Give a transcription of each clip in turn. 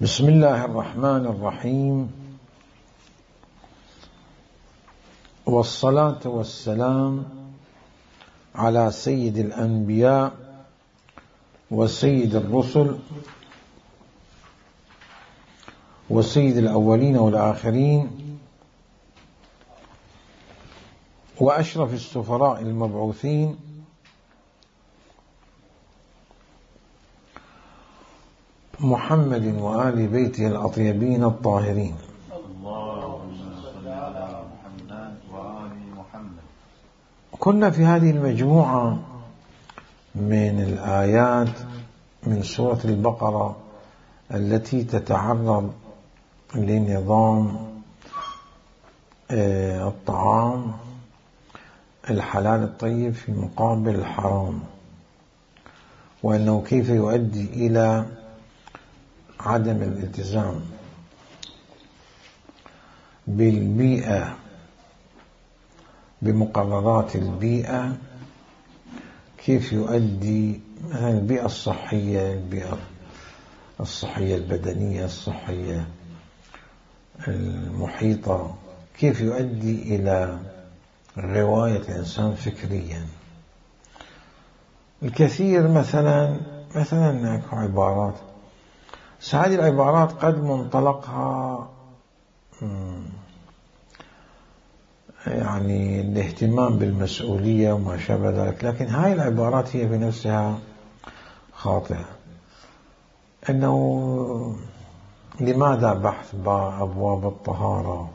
بسم الله الرحمن الرحيم، والصلاة والسلام على سيد الأنبياء وسيد الرسل وسيد الأولين والآخرين وأشرف السفراء المبعوثين محمد وآل بيته الأطيبين الطاهرين. اللهم صل على محمد وآل محمد. كنا في هذه المجموعة من الآيات من سورة البقرة التي تتعرض لنظام الطعام الحلال الطيب في مقابل الحرام، وأنه كيف يؤدي إلى عدم الالتزام بالبيئة بمقررات البيئة، كيف يؤدي البيئة الصحية، البيئة الصحية البدنية، الصحية المحيطة، كيف يؤدي إلى غواية الإنسان فكريا. الكثير مثلا هناك عبارات، هذه العبارات قد منطلقها يعني الاهتمام بالمسؤولية وما شابه ذلك، لكن هاي العبارات هي بنفسها خاطئة. أنه لماذا بحث أبواب الطهارة،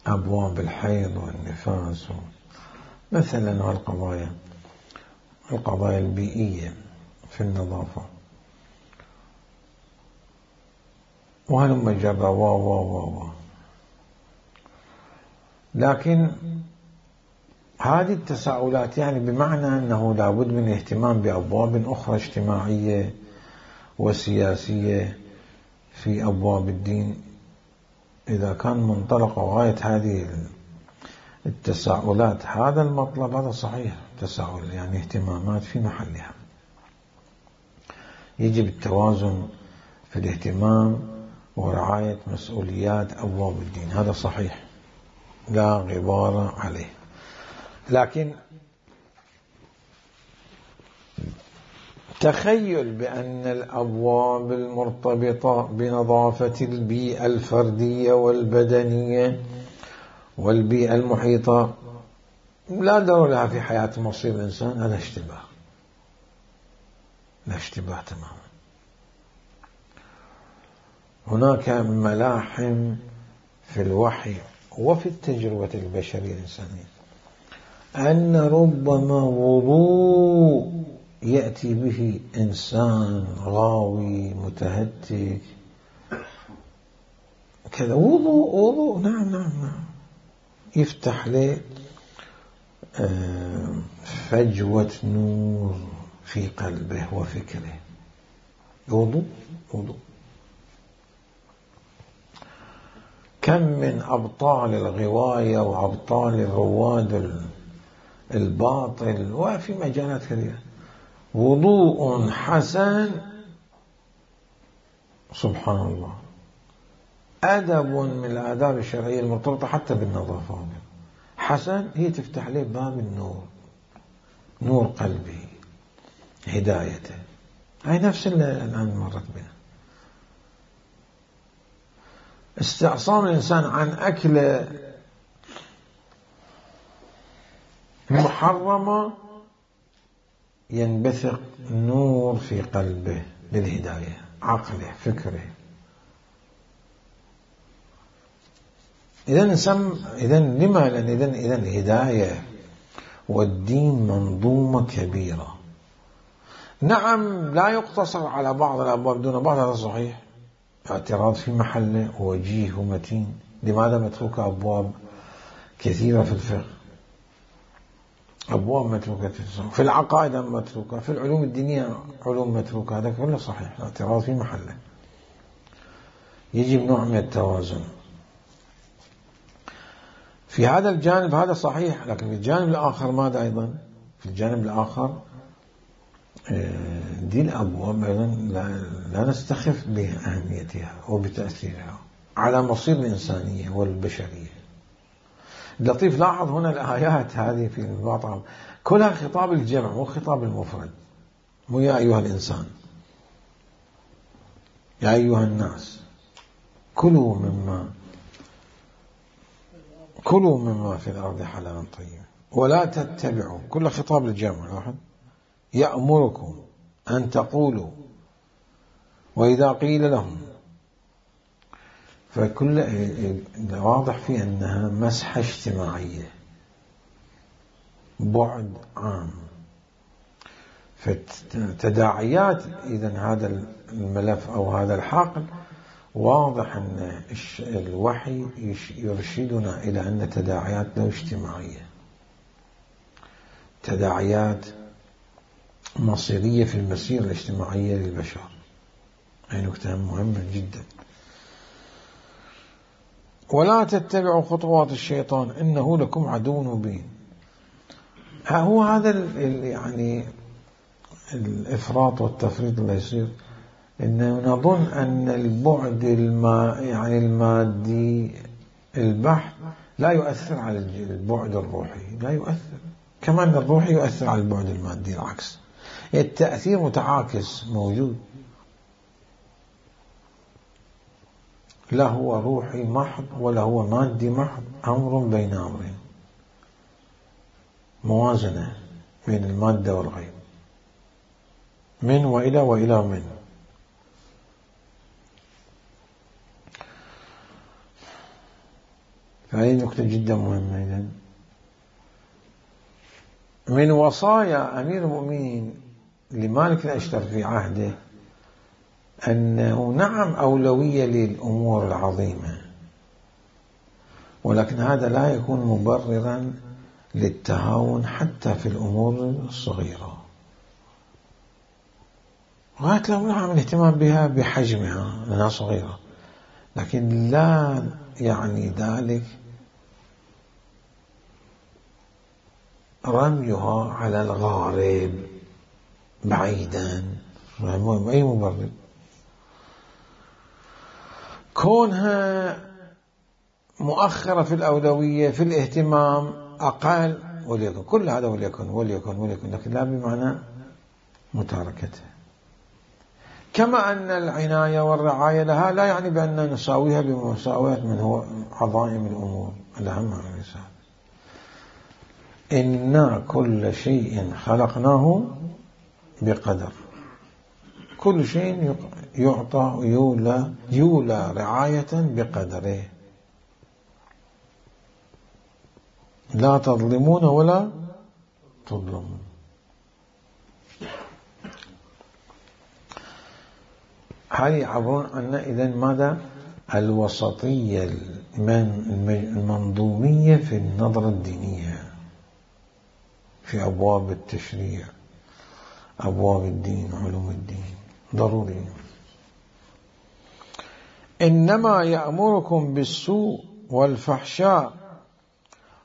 أبواب الحيض والنفاس مثلا، والقضايا البيئية في النظافة، وهلم جرى لكن هذه التساؤلات يعني بمعنى أنه لابد من الاهتمام بأبواب أخرى اجتماعية وسياسية في أبواب الدين. إذا كان منطلق وغاية هذه التساؤلات هذا المطلب، هذا صحيح، تساؤل يعني اهتمامات في محلها. يجب التوازن في الاهتمام ورعاية مسؤوليات أبواب الدين، هذا صحيح لا غبار عليه. لكن تخيل بأن الأبواب المرتبطة بنظافة البيئة الفردية والبدنية والبيئة المحيطة لا دور لها في حياة مصير الإنسان، هذا اشتباه تماما. هناك ملاحم في الوحي وفي التجربة البشرية الإنسانية أن ربما وضوء يأتي به إنسان غاوي متهتك كذا، وضوء نعم يفتح له فجوة نور في قلبه وفكره. وضوء كم من أبطال الغواية وأبطال الرواد الباطل وفي مجالات كثيرة، وضوء حسن سبحان الله، أدب من الآداب الشرعية المرتبطة حتى بالنظافة حسن، هي تفتح له باب النور، نور قلبه، هدايته. هاي نفس اللي الآن مرت بنا. استعصام الإنسان عن أكل محرمة ينبثق نور في قلبه للهداية، عقله، فكره. إذن الهداية والدين منظومة كبيرة. نعم لا يقتصر على بعض الأبواب دون بعض، هذا صحيح، اعتراض في محله ووجيه ومتين. لماذا متروكة أبواب كثيرة في الفقه، أبواب متروكة في العقائد متروكة، في العلوم الدينية علوم متروكة، هذا كله صحيح، اعتراض في محله. يجب نوع من التوازن في هذا الجانب، هذا صحيح. لكن في الجانب الآخر ماذا أيضا؟ في الجانب الآخر دي الأبواب أيضا لا نستخف بأهميتها وبتأثيرها على مصير الإنسانية والبشرية. لطيف لاحظ هنا الآيات هذه في الباطل كلها خطاب الجمع مو خطاب المفرد، مو يا أيها الإنسان، يا أيها الناس كلوا مما في الأرض حلالا طيبا ولا تتبعوا، كل خطاب الجمع. لاحظ يأمركم أن تقولوا وإذا قيل لهم، فكل واضح في أنها مسحة اجتماعية، بعد عام. فتداعيات إذن هذا الملف أو هذا الحقل واضح أن الوحي يرشدنا إلى أن تداعيات له اجتماعية، تداعيات مصيرية في المسيرة الاجتماعية للبشر. هذه نكتة مهمة جدا. ولا تتبعوا خطوات الشيطان إنه لكم عدو مبين. هو هذا يعني الإفراط والتفريط اللي يصير، إنه نظن أن البعد يعني المادي البحث لا يؤثر على البعد الروحي، لا يؤثر، كما أن الروحي يؤثر على البعد المادي، العكس، التأثير متعاكس موجود. لا هو روحي محض ولا هو مادي محض، أمر بين أمرين، موازنة بين المادة والغيب، من وإلى وإلى من. فهذه نقطة جدا مهمة. إذن من وصايا أمير المؤمنين لمالك الأشتر في عهده أنه نعم أولوية للأمور العظيمة، ولكن هذا لا يكون مبررا للتهاون حتى في الأمور الصغيرة. غاية لو نعم الاهتمام بها بحجمها لأنها صغيرة، لكن لا يعني ذلك رميها على الغارب بعيدا، أي مبرر. كونها مؤخرة في الأولوية في الاهتمام أقل، وليكن كل هذا وليكن، لكن لا بمعنى متاركتها. كما أن العناية والرعاية لها لا يعني بأن نساويها بمساواة من هو عظائم الأمور الأهم على الإنسان. إنا كل شيء خلقناه بقدر، كل شيء يعطى يولى رعاية بقدره، لا تظلمون ولا تظلمون. هل يعبرون عنا إذن ماذا؟ الوسطية المنظومية في النظرة الدينية في أبواب التشريع، أبواب الدين، علوم الدين، ضروري. إنما يأمركم بالسوء والفحشاء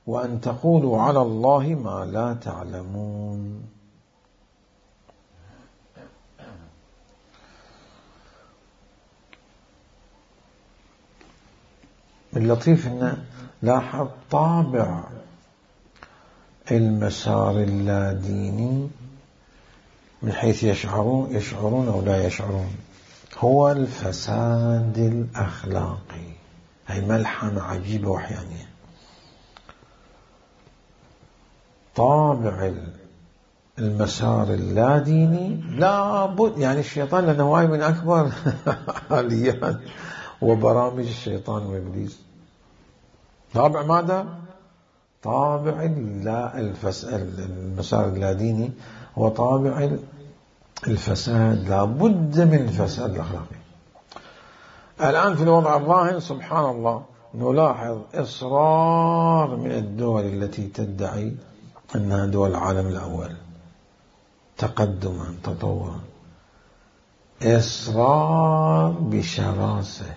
وأن تقولوا على الله ما لا تعلمون. اللطيف أن لاحظ طابع المسار اللاديني من حيث يشعرون أو لا يشعرون، هو الفساد الأخلاقي. هي ملحمة عجيبة وحيانية. طابع المسار اللاديني لابد، يعني الشيطان لأنه واحد من أكبر آليات وبرامج الشيطان وإبليس. طابع ماذا؟ طابع المسار اللاديني هو طابع الفساد، لابد من الفساد الأخلاقي. الآن في الوضع الراهن سبحان الله نلاحظ إصرار من الدول التي تدعي أنها دول العالم الأول تقدما تطورا، إصرار بشراسة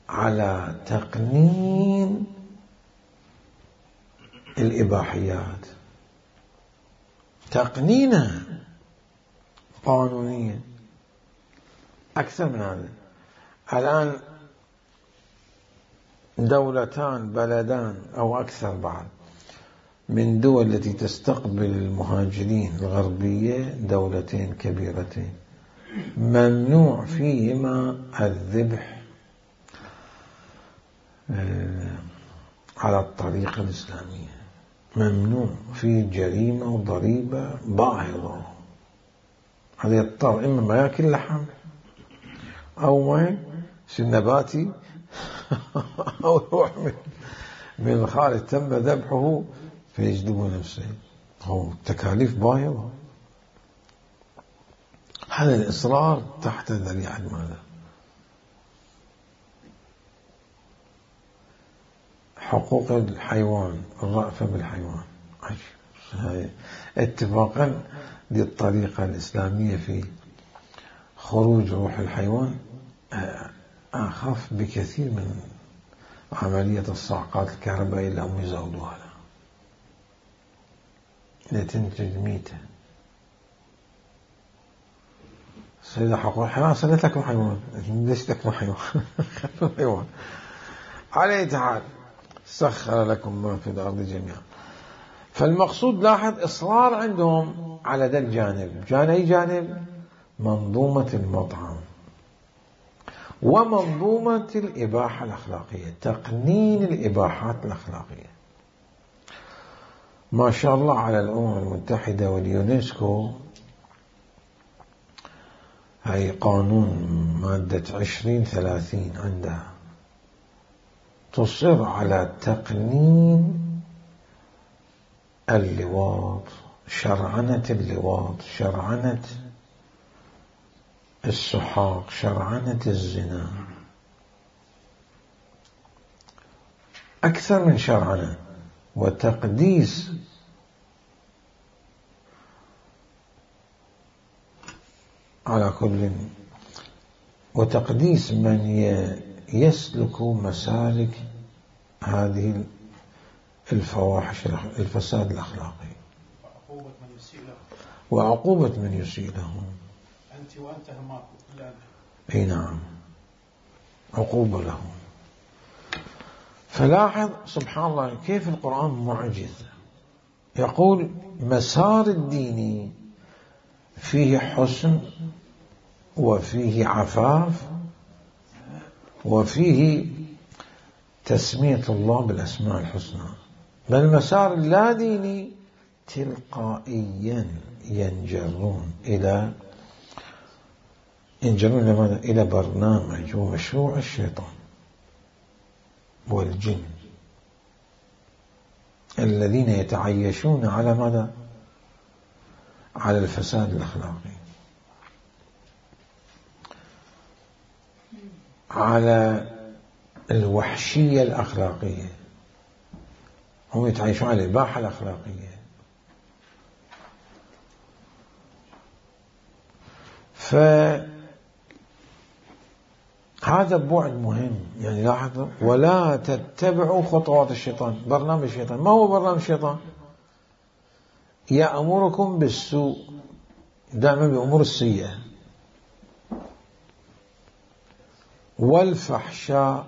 على تقنين الإباحيات، تقنينها قانونية أكثر من هذا. الآن دولتان بلدان أو أكثر بعد من دول التي تستقبل المهاجرين الغربية، دولتين كبيرتين ممنوع فيهما الذبح على الطريقة الإسلامية، ممنوع، في جريمة وضريبة باهظة. هذا يضطر إما ما يأكل لحم أو ما يصير نباتي أو يروح من الخارج تم ذبحه فيجلب نفسه. هو تكاليف باهظة. هذا الإصرار تحت ذريعة ماذا؟ حقوق الحيوان، الرأفة بالحيوان. اتفاقا للطريقة الإسلامية في خروج روح الحيوان أخف بكثير من عملية الصعقات الكهربائية اللي هم يزودوها لتنتج ميتة. سيدة حقوق الحيوان صلت تاكل حيوان، ليش تاكل حيوان؟ على أي حال سخر لكم ما في الأرض جميعا. فالمقصود لاحظ إصرار عندهم على ذا الجانب. أي جانب؟ منظومة المطعم ومنظومة الإباحة الأخلاقية، تقنين الإباحات الأخلاقية. ما شاء الله على الأمم المتحدة واليونسكو، هاي قانون مادة 2030 عندها تصر على تقنين اللواط، شرعنة اللواط، شرعنة السحاق، شرعنة الزنا، أكثر من شرعنة، وتقديس على كل، وتقديس من يسلك مسالك هذه الفواحش، الفساد الأخلاقي، وعقوبة من يسيء لهم. أنت وأنت هماكم. أي نعم، عقوبة لهم. فلاحظ سبحان الله كيف القرآن معجز. يقول مسار الدين فيه حسن وفيه عفاف وفيه تسمية الله بالأسماء الحسنى، بل المسار اللا ديني تلقائيا ينجرون إلى ماذا؟ إلى برنامج ومشروع الشيطان والجن الذين يتعيشون على ماذا؟ على الفساد الأخلاقي، على الوحشية الأخلاقية، هم يتعيشون على الإباحة الأخلاقية. فهذا بعد مهم. يعني لاحظوا، ولا تتبعوا خطوات الشيطان، برنامج الشيطان. ما هو برنامج الشيطان؟ يأمركم بالسوء، دائما بأمور السيئة، والفحشاء،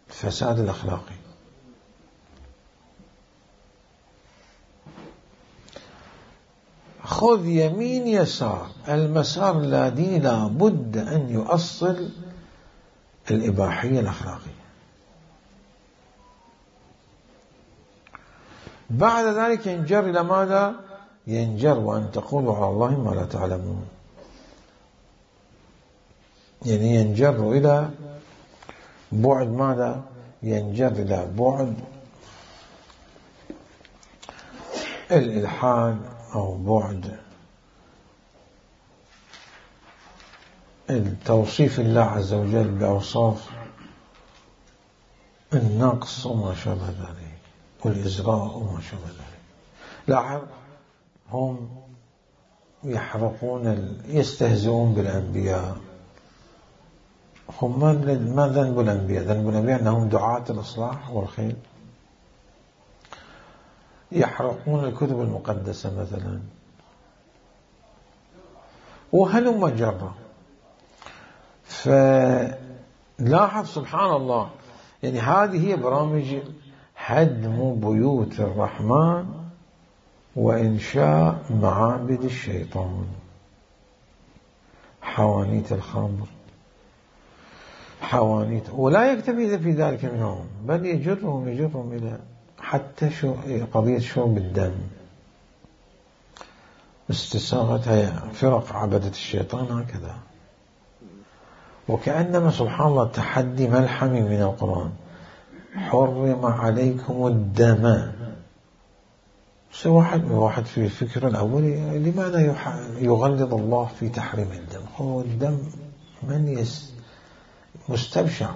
الفساد الأخلاقي. خذ يمين يسار، المسار اللاديني لا بد أن يؤصل الإباحية الأخلاقية. بعد ذلك ينجر إلى ماذا؟ ينجر وأن تقولوا على الله ما لا تعلمون. يعني ينجر إلى بعد ماذا؟ ينجر إلى بعد الإلحاد، أو بعد التوصيف الله عز وجل بأوصاف النقص وما شابه ذلك، والإزراء وما شابه ذلك. لاحظ، هم يحرقون، يستهزئون بالأنبياء. هم ما ذنب الأنبياء؟ ذنب الأنبياء أنهم دعاة الإصلاح والخير. يحرقون الكتب المقدسة مثلا، وهلم جرا. فلاحظ سبحان الله، يعني هذه هي برامج هدم بيوت الرحمن وإنشاء معابد الشيطان. حوانيت الخمر، حوانيت، ولا يكتفي في ذلك منهم، بل يجرهم إلى حتى قضية شرب الدم، استساغتها فرق عبدة الشيطان هكذا. وكأنما سبحان الله تحدي ملحمي من القرآن: حرم عليكم الدم. واحد في الفكر الأولي لماذا يغلظ الله في تحريم الدم؟ هو الدم من مستبشع.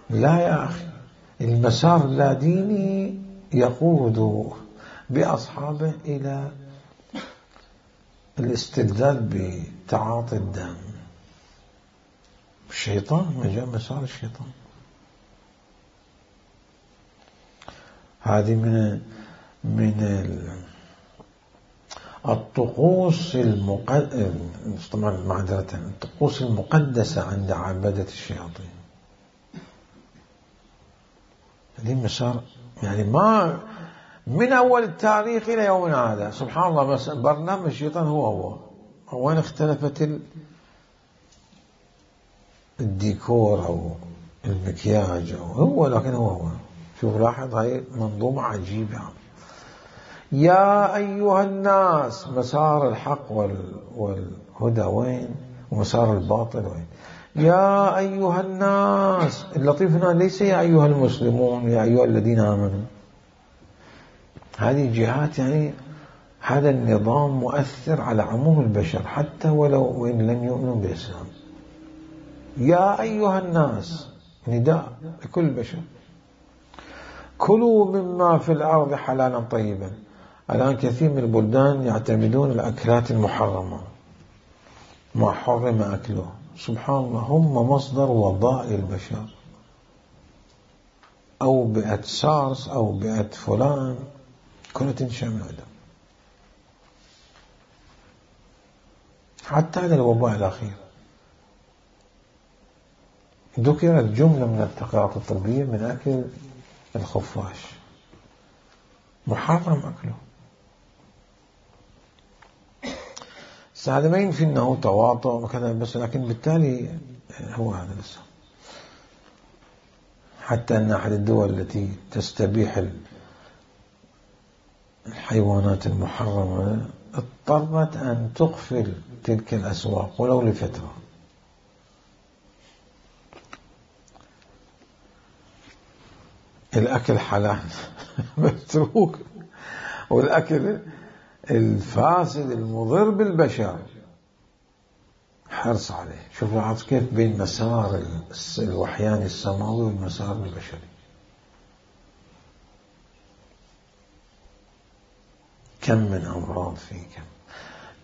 لا يا أخي، المسار اللاديني يقود بأصحابه إلى الاستبداد بتعاطي الدم. الشيطان مسار الشيطان. هذه من الطقوس طبعا معذرة، الطقوس المقدسة عند عبادة الشياطين. هذه مسار، يعني ما من أول التاريخ إلى يومنا هذا سبحان الله برنامج الشيطان هو وين اختلفت الديكور أو المكياج هو، لكن هو. شوف لاحظ، هاي منظومة عجيبة. يا أيها الناس، مسار الحق والهدى وين؟ ومسار الباطل وين؟ يا أيها الناس. اللطيف هنا ليس يا أيها المسلمون، يا أيها الذين آمنوا. هذه جهات، يعني هذا النظام مؤثر على عموم البشر حتى ولو وإن لم يؤمنوا بالإسلام. يا أيها الناس نداء لكل البشر. كلوا مما في الأرض حلالا طيبا. الآن كثير من البلدان يعتمدون الأكلات المحرمة، ما حرم أكله. سبحان الله، هم مصدر وضاء البشر. أو بيئة سارس أو بيئة فلان، كلها تنشأ من هذا. حتى هذا الوباء الأخير ذكرت جملة من التقارير الطبية من أكل الخفاش، محرم أكله. هذا ما ينفي أنه تواطؤ وكذا، بس لكن بالتالي هو هذا لسه. حتى أن أحد الدول التي تستبيح الحيوانات المحرمة اضطرت أن تقفل تلك الأسواق ولو لفترة. الأكل حلال متروك، والأكل الفاسد المضر بالبشر حرص عليه. شوف لاحظ كيف بين مسار الوحيان السماوي والمسار البشري. كم من أمراض فيه،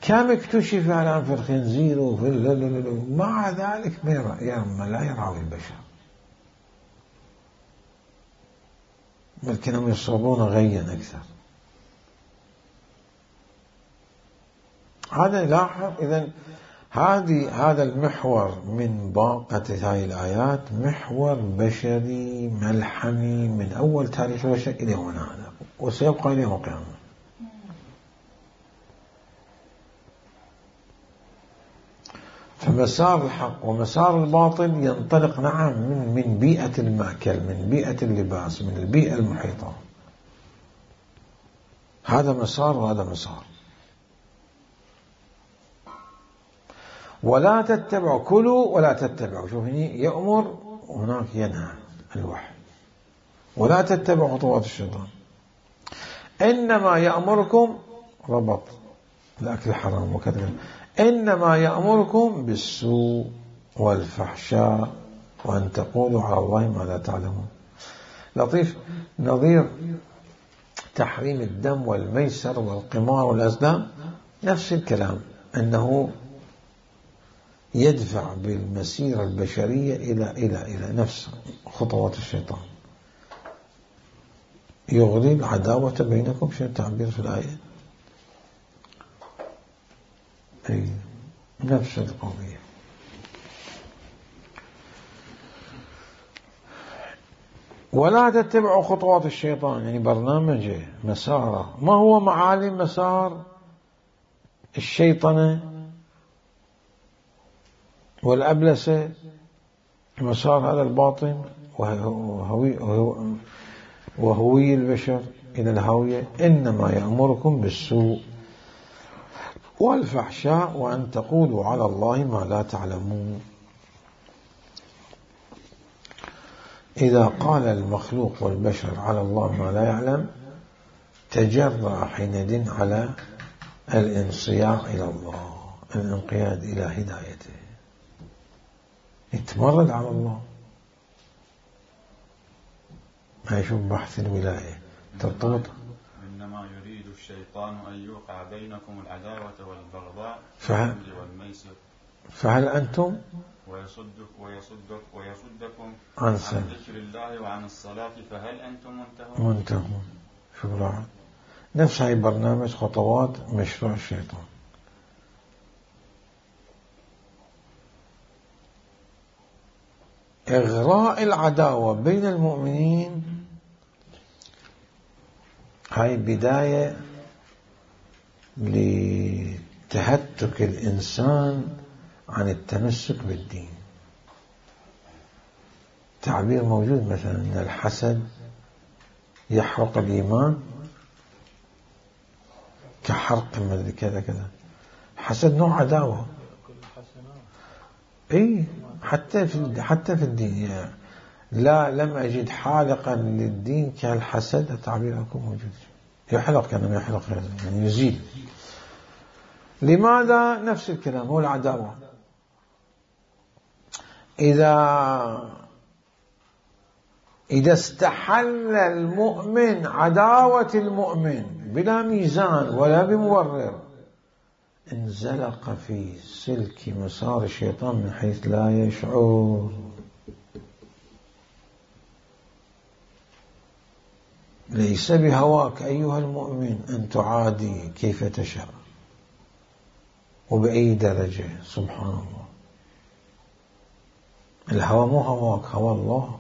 كم اكتشف الآن في الخنزير وفي مع ذلك لا يرعى البشر، بل كانوا يصابون غيا أكثر. هذا لاحظ. إذن هذا المحور من باقة هذه الآيات محور بشري ملحمي من أول تاريخ البشر إلى هنا هذا، وسيبقى إلى يوم القيامة. فمسار الحق ومسار الباطل ينطلق نعم من بيئة المأكل، من بيئة اللباس، من البيئة المحيطة. هذا مسار وهذا مسار. ولا تتبعوا، كلوا ولا تتبعوا. شوف هنا يأمر وهناك ينهى الوحي. ولا تتبعوا خطوات الشيطان، إنما يأمركم، ربط الأكل حرام وكذا، إنما يأمركم بالسوء والفحشاء وأن تقولوا على الله ما لا تعلمون. لطيف. نظير تحريم الدم والميسر والقمار والأزلام نفس الكلام، أنه يدفع بالمسيرة البشرية إلى نفس خطوات الشيطان. يغري العداوة بينكم، شو التعبير في الآية؟ أي نفس القضية. ولا تتبعوا خطوات الشيطان، يعني برنامجه مساره. ما هو معالم مسار الشيطنة والأبلسة؟ مسار هذا الباطن وهوي البشر إلى الهاوية. إنما يأمركم بالسوء والفحشاء وأن تقولوا على الله ما لا تعلمون. إذا قال المخلوق والبشر على الله ما لا يعلم تجرأ حينئذ على الانصياع إلى الله، الانقياد إلى هدايته، يتمرد على الله. ما يشوف بحث الولاية ترتبط. إنما يريد الشيطان أن يوقع بينكم العداوة والبغضاء والميسر. فهل أنتم ويصدكم عن ذكر الله وعن الصلاة فهل أنتم منتهون. شكرا. نفس هاي برنامج خطوات مشروع الشيطان. إغراء العداوة بين المؤمنين، هاي بداية لتهتك الإنسان عن التمسك بالدين. تعبير موجود مثلا أن الحسد يحرق الإيمان كحرق كذا كذا. حسد نوع عداوة. اي حتى في الدين يعني لم أجد حالقا للدين كالحسد. التعبير أكون موجود. يحلق كان يحلق يعني يزيل. لماذا؟ نفس الكلام، هو العداوة. إذا استحل المؤمن عداوة المؤمن بلا ميزان ولا بمبرر انزلق في سلك مسار الشيطان من حيث لا يشعر. ليس بهواك أيها المؤمن أن تعادي كيف تشاء وبأي درجة. سبحان الله. الهوى مو هواك، هوى الله.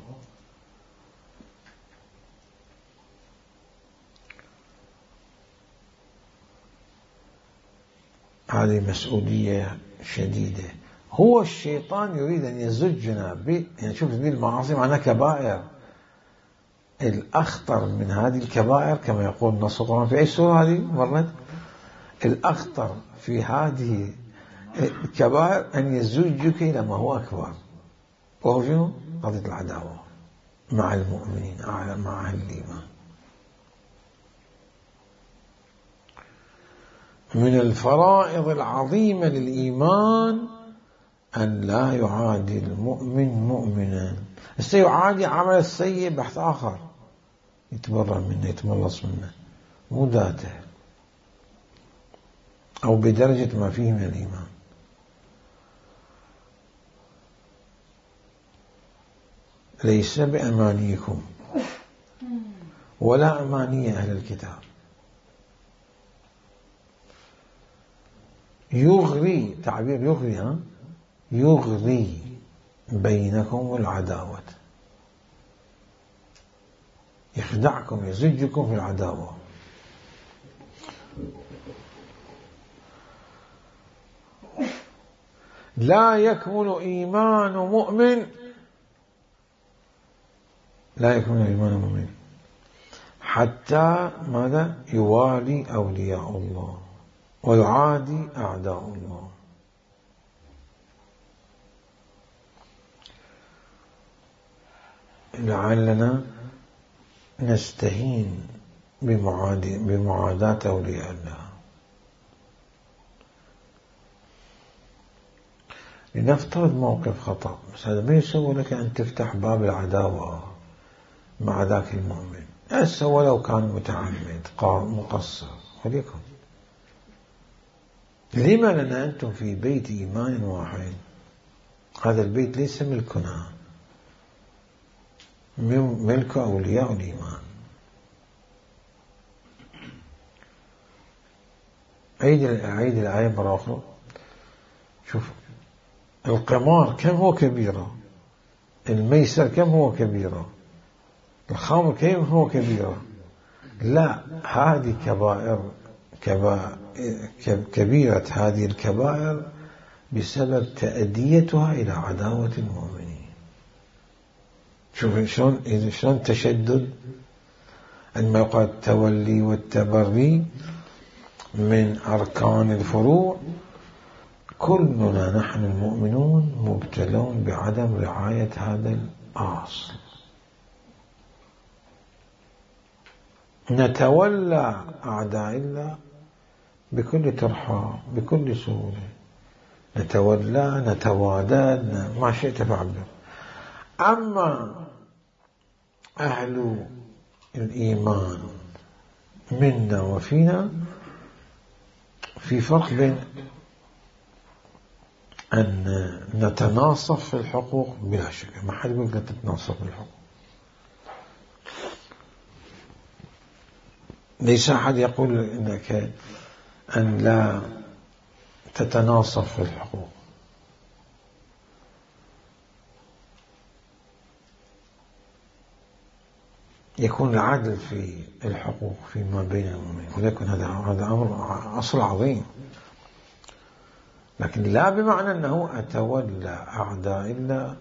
هذه مسؤولية شديدة. هو الشيطان يريد أن يزجنا يعني شوف ذي المعاصي معناها كبائر. الأخطر من هذه الكبائر كما يقول نص القرآن في أي سورة هذه مرت، الأخطر في هذه الكبائر أن يزجك إلى ما هو أكبر، وهو شنو؟ قضية العداوة مع المؤمنين، مع أهل الإيمان. من الفرائض العظيمة للإيمان أن لا يعادي المؤمن مؤمنا. سيعادي عمل السيء بحث آخر، يتبرأ منه، يتملص منه، مو ذاته أو بدرجة ما فيه من الإيمان. ليس بأمانيكم ولا أماني أهل الكتاب يغري، تعبير يغري، يغري بينكم العداوة، يخدعكم، يزجكم في العداوة. لا يكمل إيمان مؤمن، لا يكمل إيمان مؤمن حتى ماذا؟ يوالي أولياء الله ويعادي أعداء الله. لعلنا نستهين بمعاداة أولياء الله. لنفترض موقف خطأ، بس هذا ما يسوي لك أن تفتح باب العداوة مع ذاك المؤمن. هسه ولو كان متعمد مقصر وليكن. لما لنا أنتم في بيت إيمان واحد؟ هذا البيت ليس ملكنا، ملك أولياء الإيمان. عيد الآية مرة أخرى. شوف القمار كم هو كبيرة، الميسر كم هو كبيرة، الخمر كم هو كبيرة. لا، هذه كبيرة هذه الكبائر بسبب تأديتها إلى عداوة المؤمنين. شوف شلون تشدد. عندما يقال التولي والتبري من أركان الفروع، كلنا نحن المؤمنون مبتلون بعدم رعاية هذا الأصل. نتولى أعداء الله بكل ترحاب، بكل سهولة، نتولى، نتوادد، ما شئت فعبر. أما أهل الإيمان منا وفينا، في فرق بين أن نتناصف في الحقوق بلا شك، ما حد يقول لك تتناصف في الحقوق، ليس أحد يقول إنك أن لا تتناصف في الحقوق. يكون العدل في الحقوق فيما بين المؤمنين، ولكن هذا أمر أصل عظيم، لكن لا بمعنى أنه أتولى أعداء الله،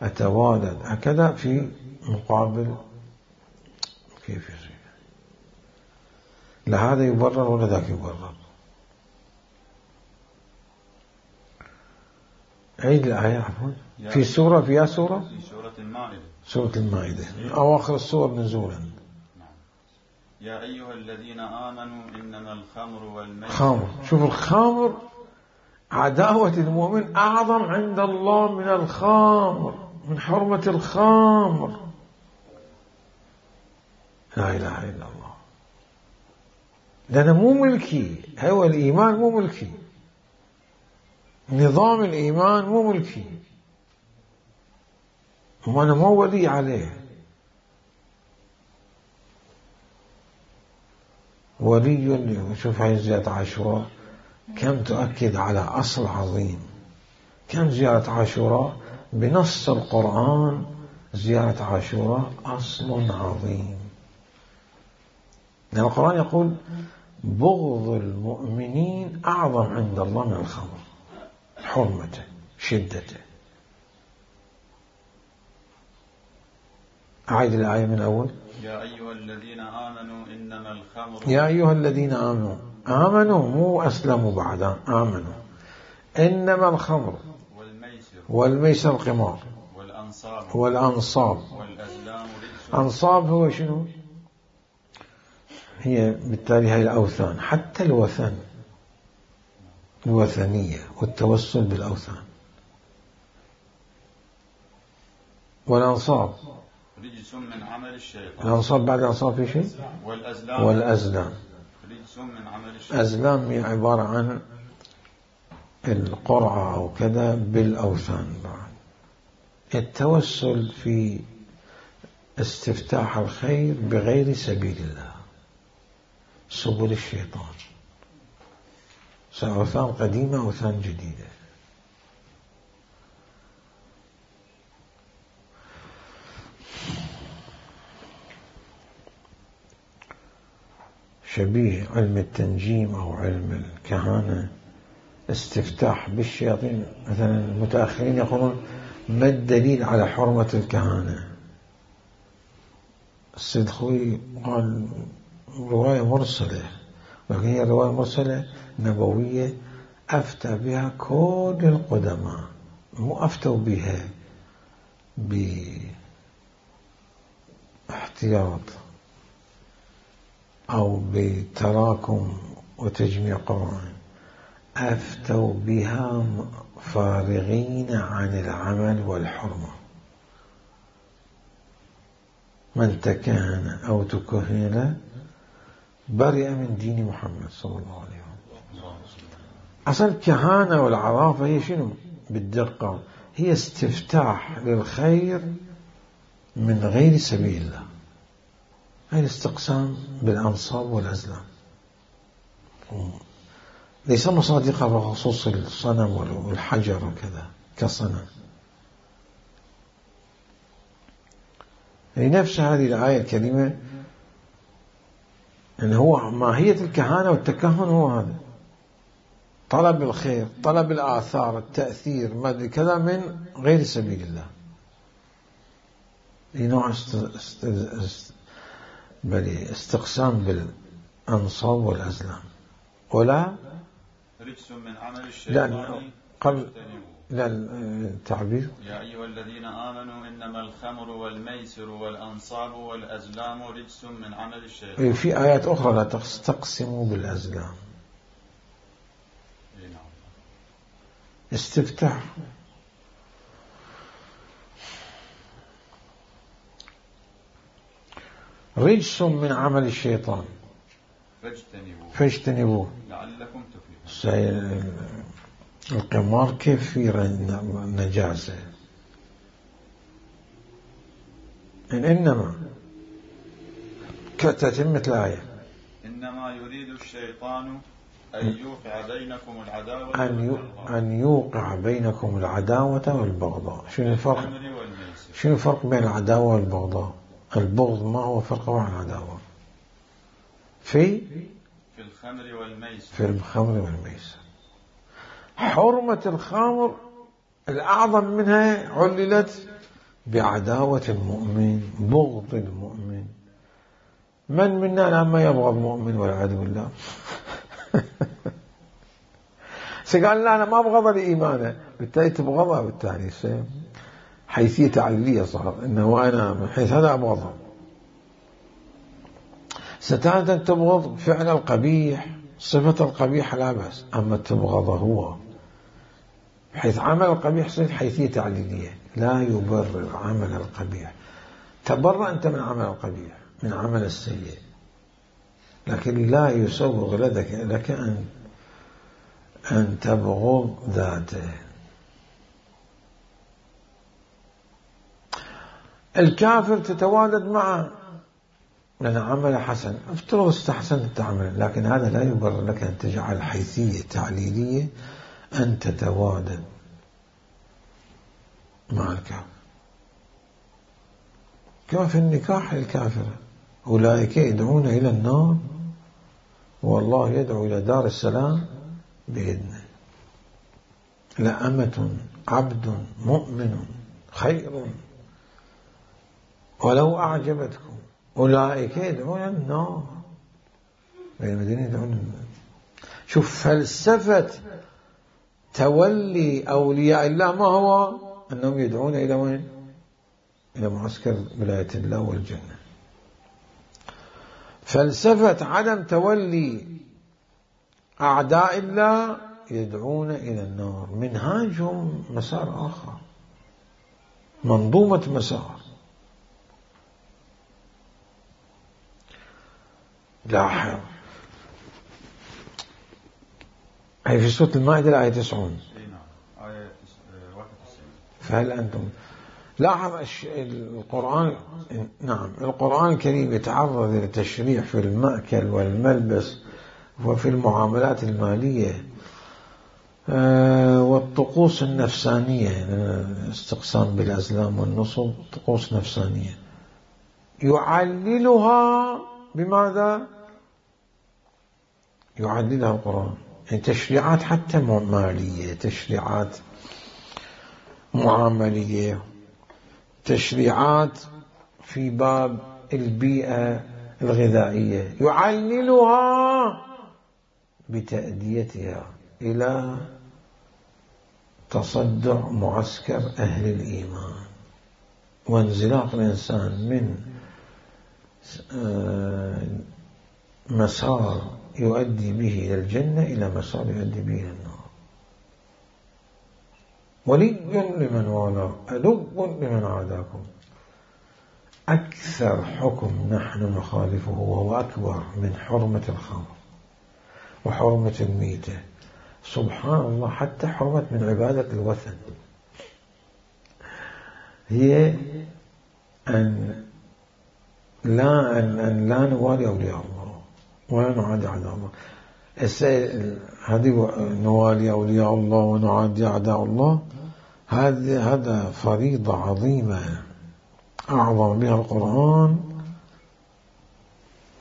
أتوالد هكذا في مقابل. كيف يصير؟ لا هذا يبرر ولا ذاك يبرر. عيد الآية عفوا. في سورة في سورة المائدة. سورة المائدة أواخر السور نزولا. يا أيها الذين آمنوا إنما الخمر والميسر. خمر. شوف الخمر، عداوة المؤمن أعظم عند الله من الخمر، من حرمة الخمر. لا إله إلا الله. لأنه مو ملكي، هو الإيمان مو ملكي، نظام الإيمان مو ملكي، وأنا مو ولي عليه. ولي. شوف هاي زيارة عاشوراء كم تؤكد على أصل عظيم. كم زيارة عاشوراء بنص القرآن، زيارة عاشوراء أصل عظيم. لأن القرآن يقول بغض المؤمنين أعظم عند الله من الخمر، حرمته، شدته. أعيد الآية من أول. يا أيها الذين آمنوا إنما الخمر. يا أيها الذين آمنوا، آمنوا مو أسلموا بعد، آمنوا. إنما الخمر والميسر القمار والأنصاب والأزلام رجس. أنصاب هو شنو؟ هي بالتالي هي الأوثان، حتى الوثن، الوثنية والتوسل بالأوثان. والأنصاب رجس من عمل الشيطان. الأنصاب بعد الأنصاب في شيء. والأزلام رجس من عمل الشيطان. أزلام هي عبارة عن القرعة أو كذا بالأوثان. بعد التوسل في استفتاح الخير بغير سبيل الله، سبل الشيطان، سواء أوثان قديمة أو أوثان جديدة. شبيه علم التنجيم أو علم الكهانة، استفتاح بالشياطين. مثلا المتأخرين يقولون ما الدليل على حرمة الكهانة؟ السيد خوي قال رواية مرسلة، ولكن هي رواية مرسلة نبوية أفتى بها كل القدماء، مو أفتوا بها باحتياط أو بتراكم وتجميع قرآن، أفتوا بها فارغين عن العمل والحرمة. من تكهن أو تكهن برئ من دين محمد صلى الله عليه وسلم. أصل الكهانة والعرافة هي شنو بالدقة؟ هي استفتاح للخير من غير سبيل الله. هاي الاستقسام بالأنصاب والأزلام. ليس مصادقة بخصوص الصنم والحجر وكذا كصنم. لنفس هذه الآية الكريمة أن هو ماهية الكهانة والتكهن هو هذا، طلب الخير، طلب الآثار، التأثير، ما أدري كذا من غير سبيل الله. نوع استقسام بالأنصاب والأزلام. ولا رجس من عمل الشيطان لا التعبير يا أيها الذين آمنوا إنما الخمر والميسر والأنصاب والأزلام رجس من عمل الشيطان. في آيات أخرى لا تستقسموا بالأزلام. استفتاح. رجس من عمل الشيطان فاجتنبوه لعلكم تفلحون. القمار كيف في نجاسة؟ إنما كتتمة الآية إنما يريد الشيطان أن يوقع بينكم العداوة أن يوقع بينكم العداوة والبغضاء. شنو الفرق بين العداوة والبغضاء؟ البغض ما هو فرق عن العداوة؟ في الخمر والميسر. حرمة الخمر الأعظم منها عللت بعداوة المؤمن، بغض المؤمن. من منا لما يبغض مؤمن والعياذ بالله؟ سقال لا أنا ما أبغض لإيمانه، بالتالي تبغضها، بالتالي حيثية تعليلية صار إنه أنا من حيث هذا أبغضه. ستارة تبغض فعل القبيح، صفة القبيح لا بأس، أما تبغضه هو حيث عمل القبيح صير حيثية تعليلية، لا يبرر عمل القبيح. تبرأ أنت من عمل القبيح، من عمل السيء، لكن لا يسوغ لك أن تبغض ذاته. الكافر تتوالد معه لأن عمل حسن، افترض استحسنت تعمل، لكن هذا لا يبرر لك أن تجعل حيثية تعليلية أن تتوالد مع الكافر. كما في النكاح الكافرة، أولئك يدعون إلى النار والله يدعو إلى دار السلام بإذنه. لأمة عبد مؤمن خير ولو أعجبتكم أولئك يدعون النار والذين يدعون النار. شوف فلسفة تولي أولياء الله ما هو؟ أنهم يدعون إلى وين؟ إلى معسكر ولاية الله والجنة. فلسفة عدم تولي أعداء الله يدعون إلى النار. منهاجهم مسار آخر، منظومة مسار. لاحظ هي في سورة المائدة الآية 90. فهل أنتم لاحظ القرآن، نعم القرآن الكريم يتعرض للتشريع في المأكل والملبس وفي المعاملات المالية والطقوس النفسانية، استقسام بالأزلام والنصب طقوس نفسانية يعللها بماذا؟ يعللها القرآن، يعني تشريعات حتى مالية، تشريعات معاملية، تشريعات في باب البيئة الغذائية يعللها بتأديتها إلى تصدع معسكر أهل الإيمان وانزلاق الإنسان من مسار يؤدي به إلى الجنة إلى مسار يؤدي به إلى النار. ولي لمن والاه عدو لمن عاداكم. أكثر حكم نحن نخالفه وهو أكبر من حرمة الخمر وحرمة الميتة، سبحان الله، حتى حرمة من عبادة الوثن، هي أن لا نوالي أولياء الله ولا نعادي أعداء الله. هذه نوالي أولياء الله ونعادي أعداء الله، هذا فريضة عظيمة أعظم بها القرآن،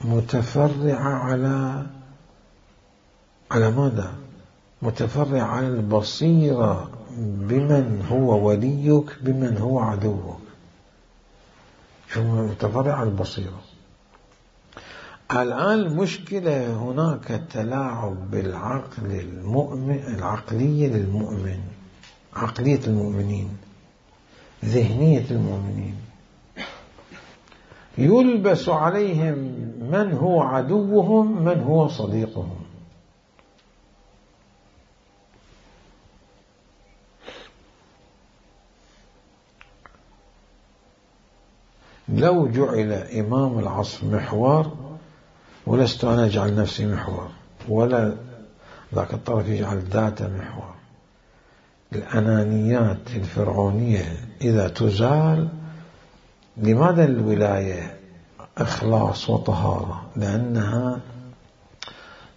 متفرعة على ماذا؟ متفرعة على البصيرة بمن هو وليك بمن هو عدوك. شو متفرعة على البصيرة؟ الآن المشكلة هناك تلاعب بالعقل المؤمن، العقلية للمؤمن، عقلية المؤمنين، ذهنية المؤمنين، يلبس عليهم من هو عدوهم من هو صديقهم. لو جعل إمام العصر محور، ولست أنا أجعل نفسي محور ولا ذاك الطرف يجعل ذاته محور، الأنانيات الفرعونية إذا تزال، لماذا الولاية إخلاص وطهارة؟ لأنها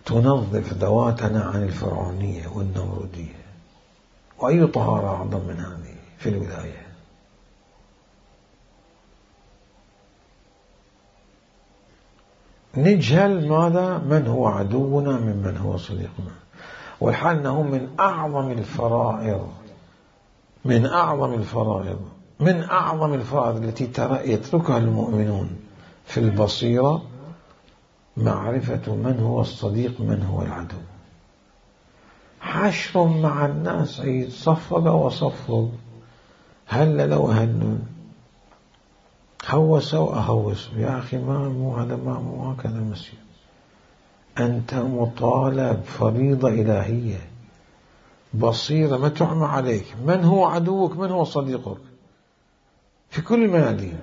تنظف ذواتنا عن الفرعونية والنمرودية، وأي طهارة أعظم من هذه في الولاية؟ نجهل ماذا؟ من هو عدونا ممن هو صديقنا، والحال أنه من أعظم الفرائض، من أعظم الفرائض التي يتركها المؤمنون في البصيرة، معرفة من هو الصديق من هو العدو. حشر مع الناس أي صفق وصفق، هل لو هنون هوس وأهوس، يا أخي مو هكذا المسير. أنت مطالب، فريضة إلهية، بصيرة ما تعمى عليك، من هو عدوك من هو صديقك في كل الميادين.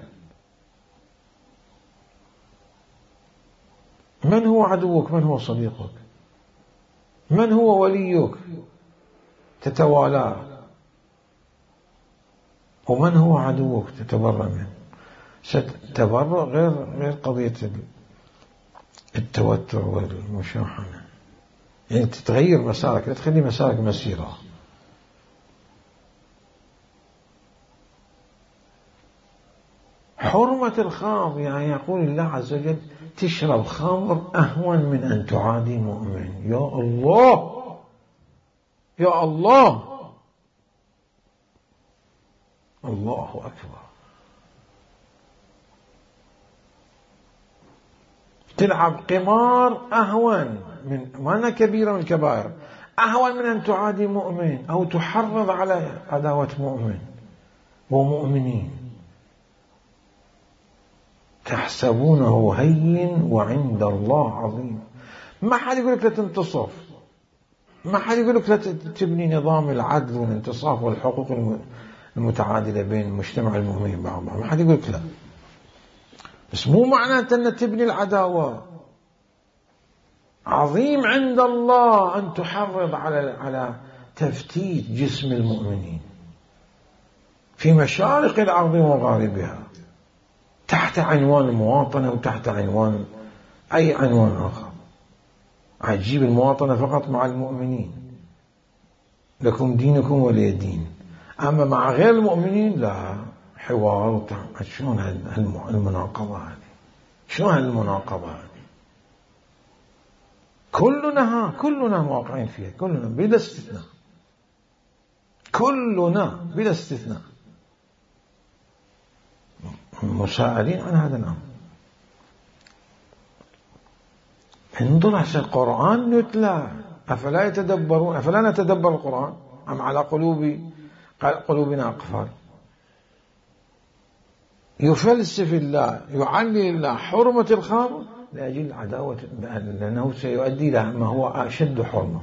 من هو عدوك من هو صديقك، من هو وليك تتوالاه، ومن هو عدوك تتبرأ منه. تبرؤ غير قضية التوتر والمشاحنة، يعني تتغير مسارك، لا تخلي مسارك مسيرة. حرمة الخمر، يعني يقول الله عز وجل تشرب خمر أهون من أن تعادي مؤمن. يا الله يا الله، الله أكبر. تلعب قمار أهون من، ما كبيرة من الكبائر، أهون من أن تعادي مؤمن أو تحرض على عداوة مؤمن ومؤمنين. تحسبونه هين وعند الله عظيم. ما حد يقول لك لا تنتصف، ما حد يقول لك لا تبني نظام العدل والانتصاف والحقوق المتعادلة بين مجتمع المؤمنين بعضهم، ما حد يقول لك لا، بس مو معناته أن تبني العداوة. عظيم عند الله أن تحرض على تفتيت جسم المؤمنين في مشارق الأرض ومغاربها تحت عنوان المواطنة وتحت عنوان أي عنوان آخر. عجيب المواطنة فقط مع المؤمنين، لكم دينكم ولي دين، أما مع غير المؤمنين لا، حوار. شلون المناقضة هذه؟ شلون هالمناقضة هذه؟ كلنا واقعين فيها، كلنا بلا استثناء، كلنا بلا استثناء مسائلين عن هذا الأمر. انظر هسه القرآن يتلى، أفلا يتدبرون، أفلا نتدبر القرآن أم على قلوبنا أقفال؟ يفلسف الله، يعلي الله حرمة الخمر لأجل عداوة، لأنه سيؤدي إلى ما هو أشد حرمة.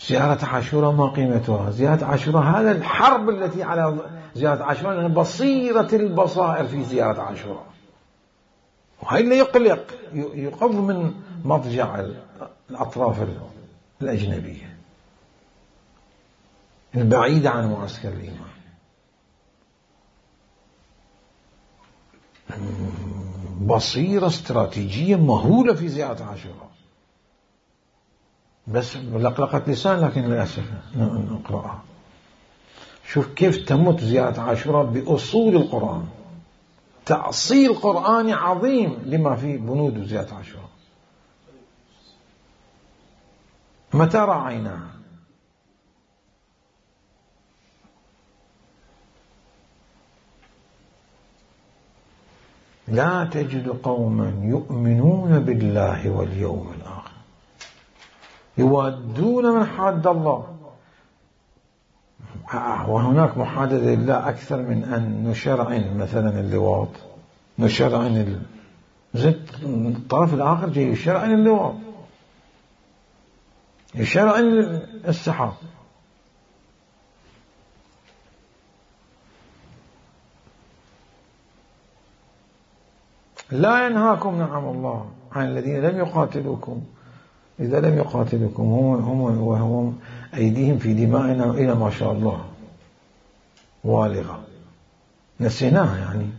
زيارة عاشوراء ما قيمتها؟ زيارة عاشوراء هذا الحرب التي على زيارة عاشوراء، لأن بصيرة البصائر في زيارة عاشوراء، وهي اللي يقلق، يقض من مضجع الأطراف الأجنبية البعيدة عن معسكر الإيمان. بصيرة استراتيجية مهولة في زيارة عاشوراء. بس لقلقة لسان، لكن للأسف نقرأها. شوف كيف تمت زيارة عاشوراء بأصول القرآن، تأصيل قرآني عظيم لما في بنود زيارة عاشوراء. متى راعيناها؟ لا تجد قوما يؤمنون بالله واليوم الآخر يوادون من حاد الله. وهناك محادثة لله أكثر من أن نشرعن مثلا اللواط، نشرعن الطرف الآخر جاي يشرعن اللواط، يشرعن السحاب. لا ينهاكم نعم الله عن الذين لم يقاتلوكم، إذا لم يقاتلوكم هم أيديهم في دمائنا إلى ما شاء الله والغة، نسيناها يعني،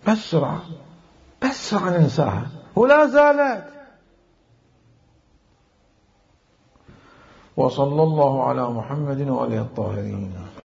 بس ننساها ولا زالت. وصلى الله على محمد وآله الطاهرين.